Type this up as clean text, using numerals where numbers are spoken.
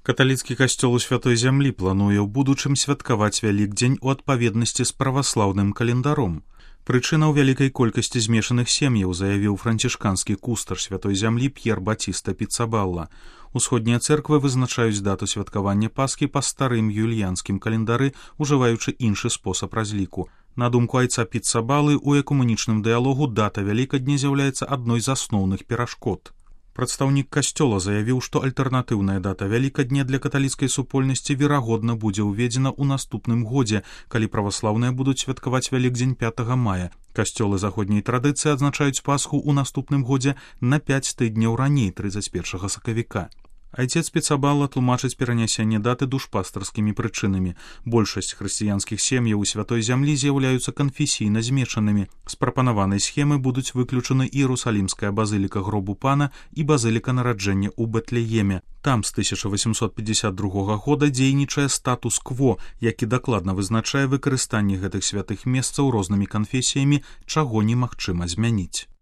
Каталіцкі касцёл у Святой Зямлі плануе ў будучым святкаваць Вялікдзень у адпаведнасці з праваслаўным календаром. Прычына ў вялікай колькасці змешаных сем'яў, заявіў францішканскі кустар Святой Зямлі П'ер Батіста Піцабалла. Усходнія цэрквы вызначаюць дату святкавання Пасхі па старым юліянскім календары, ужываючы іншы спосаб разліку. На думку айца Піцабалы, у экумэнічным дыялогу дата Вялікадня з'яўляецца адной з асноўных перашкод. Прадстаўнік касцёла заявіў, што альтэрнатыўная дата Вялікадня для каталіцкай супольнасці верагодна будзе ўведзена ў наступным годзе, калі праваслаўныя будуць святкаваць Вялікдзень 5 мая. Касцёлы заходняй традыцыі адзначаюць Пасху ў наступным годзе на 5 тыдняў раней, 31 сакавіка. Айцец Піцабалла тлумачыць перанясенне даты душпастарскімі прычынамі. Большасць хрысціянскіх сем'яў у Святой Зямлі з'яўляюцца канфесійна змешанымі. З прапанаванай схемы будуць выключаны Іерусалімская базыліка гробу пана і базыліка нараджэння ў Бэтлееме. Там з 1852 года дзейнічае статус-кво, які дакладна вызначае выкарыстанне гэтых святых месцаў рознымі канфесіямі, чаго немагчыма змяніць.